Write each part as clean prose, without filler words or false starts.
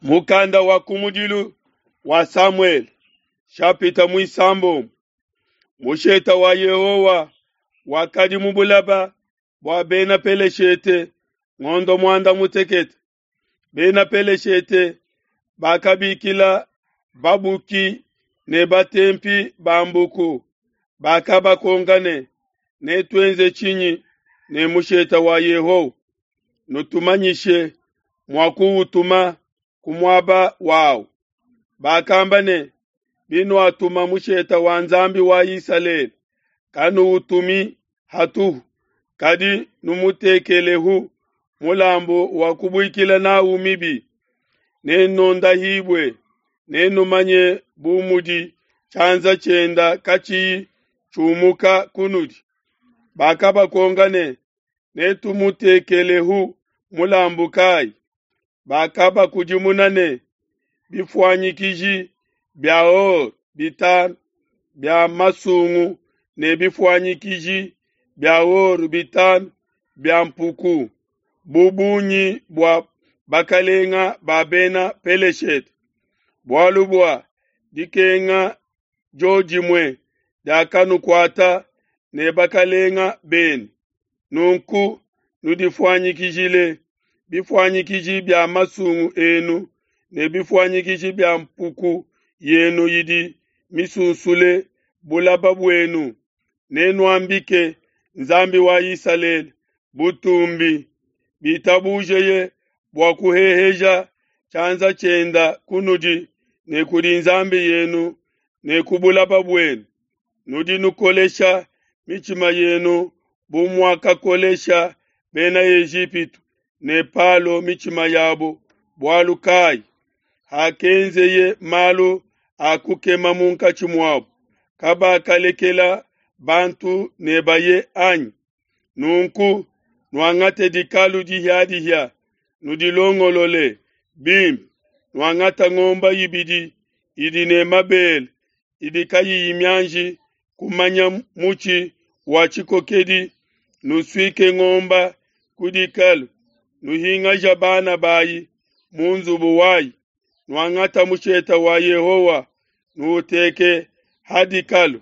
Mukanda wa kumudilu wa Samuele, shapita muisambombo. Musheta wa Yehowa wakadi mu bulaba bua bena Peleshete ngondo muanda mutekete. Bena Peleshete bakabikila babuki ne batempi ba mbuku, bakabakonka ne, Netuenze tshinyi ne musheta wa Yehowa? Nutumanyishe mua kuwutuma ku muaba wawu. Bakamba ne, Binuatuma musheta wa Nzambi wa Isalele, kanuwutumi hatuhu, kadi numutekelehu mulambu wa kubuikila n'au mibi. Nenondahibue, nenumanye bu mudi tshianza tshienda katshiyi tshiumuka kunudi. Bakabakonka ne, Netumutekelehu mulambu kai? Bakabakudimuna ne, Bifuanyikiji bia or bitanu bia masungu ne bifuanyikiji bia or bitanu bia mpuku, bu bungi bua bakalenga ba bena Peleshete. Bualu bua dikenga diodimue diakanukuata ne bakalenga benu. Nunku nudifuanyikijile bifuanyikiji bia masungu enu ne bifuanyikiji bia mpuku yenu idi misunsule bulaba buenu. Nenuambike Nzambi wa Isalele butumbi, bitabujeye bua kuheheja tshianza tshienda kunudi ne kudi nzambi yenu ne ku bulaba buenu. Nudi nukolesha mitshima yenu bu muakakolesha bena Ejipitu ne Palo mitshima yabo. Bualu kai? Hakenzeye malu a kukema munkatshi muabo, kabakalekela bantu ne baye anyi? Nunku nuangate dikalu dihia-dihia, nudilongolole bimpe, nuangate ngombe ibidi idi ne mabele, idi kayiyi mianji kumanya mutshi wa tshikokedi, nusuike ngombe ku dikalu, nuhingaja bana bayi mu nzubu wayi, nuangata musheta wa Yehowa, nuuteke ha dikalu,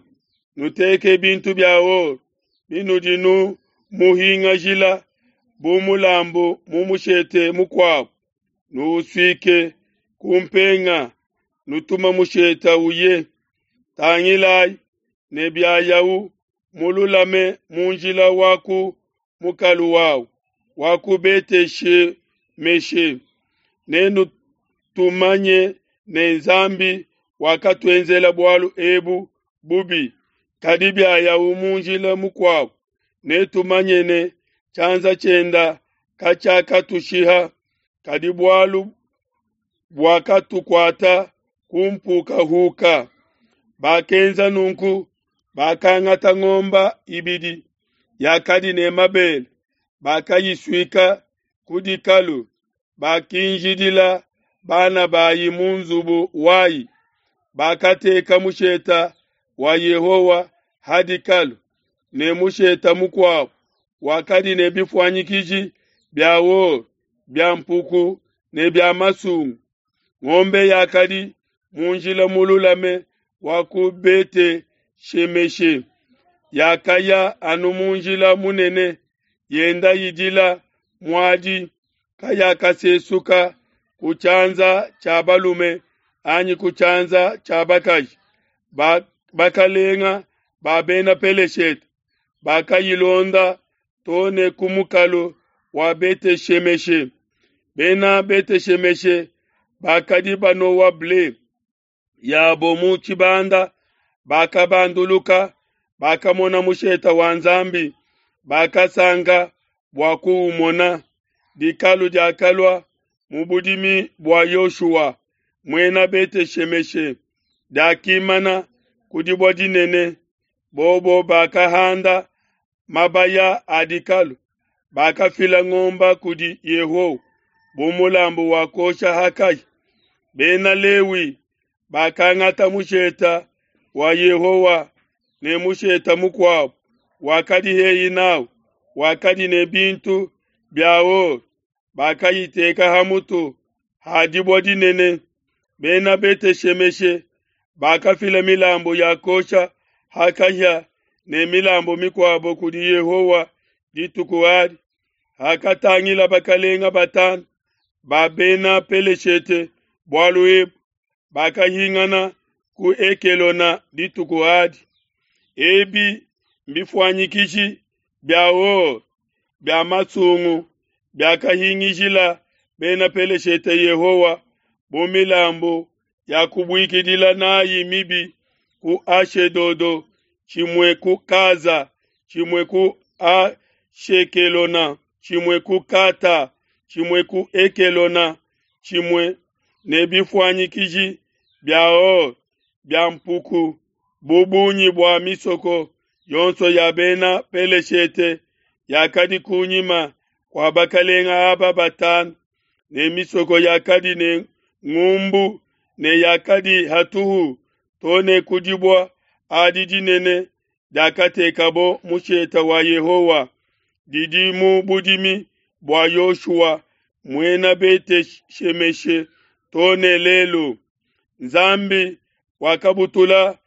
nuteke bintu bia or binudi numuhingajila bu mulambu mu mushete mukuabo, nuusuike ku mpenga, nutuma musheta uye. Tangilai ne biayawu mululame mu njila wa ku mukalu wawu wa ku Bete-Shemeshe, nenutumanye ne Nzambi wakatuenzela bualu ebu bubi. Kadi biayawu mu njila mukuabo, netumanye ne tshianza tshienda katshiakatushiha, kadi bualu buakatukuata ku mpukahuka. Bakenza nunku, bakangata ngombe ibidi yakadi ne mabele, bakayisuika ku dikalu, bakinjidila bana bayi mu nzubu wayi. Bakateka musheta wa Yehowa ha dikalu, ne musheta mukuabo wakadi ne bifuanyikiji bia or bia mpuku ne bia masungu. Ngombe yakadi mu njila mululame wa ku Bete-Shemeshe, yakaya anu mu njila munene, yenda idila muadi, kayakasesuka ku tshianza tshia balume anyi ku tshianza tshia bakaji. Bakalenga ba bena Peleshete bakayilonda too ne ku mukalu wa Bete-Shemeshe. Bena Bete-Shemeshe bakadi banowa ble yabo mu tshibanda, bakabanduluka, bakamona musheta wa Nzambi, bakasanka bua kuumona. Dikalu diakalua mu budimi bua Yoshua, muena Bete-Shemeshe, diakimana ku dibue dinene. Bobo bakahanda mabaya a dikalu, bakafila ngombe kudi Yehowa bu mulambu wa kuosha ha kahia. Bena Lewi bakangata musheta wa Yehowa ne musheta mukuabo wakadi hehi n'au, wakadi ne bintu bia or, bakayiteka ha mutu ha dibue dinene. Bena Bete-shemeshe bakafila milambu ya kuosha ha kahia ne milambu mikuabo kudi Yehowa dituku adi. Hakatangila bakelenge batanu ba Bena Peleshete bualu ebu, bakahingana ku Ekelona dituku adi. Ebi mbifuanyikishi bia or bia masungu biakahingishila Bena Peleshete Yehowa bu milambu ya kubuikidila nayi mibi ku Ashedodo, tshimue ku Kaza, tshimue ku Ashekelona, tshimue ku Kata, tshimue ku Ekelona, tshimue ne bifuanyikiji bia or bia mpuku, bu bungi bua misoko yonso ya Bena Peleshete yakadi kunyima kua bakelenge aba batanu, ne misoko yakadi ne ngumbu ne yakadi hatuhu to ne ku dibue adi dinene diakatekabo mushete wa Yehowa, didi mu budimi bua Yoshua muena Bete-shemeshe to ne lelu. Nzambi wakabutula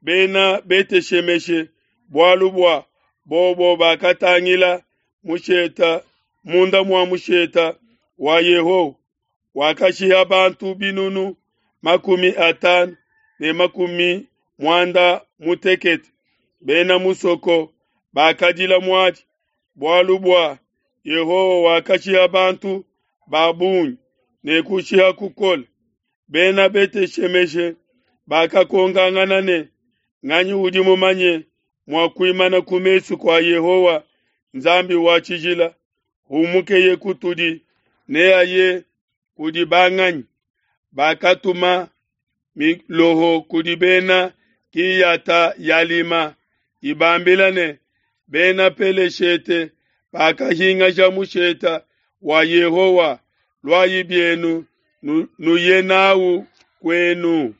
Bena Bete-shemeshe bualu bua bobo bakatangila musheta munda mua musheta wa Yehowa, wakashiha bantu binunu 50 ne 80. Bena musoko bakadila muadi bualu bua Yehowa wakashiha bantu ba bungi ne kushiha kukole. Bena Bete-shemeshe bakakonkangana ne, Nganyi udi mumanye mua kuimana ku mesu kua Yehowa Nzambi wa tshijila? Humukeye kutudi, neaye kudi banganyi? Bakatuma miloho kudi bena Kiyata-yalima, ibambila ne, Bena Peleshete bakahingasha musheta wa Yehowa, luayi bienu nuye nawu kuenu.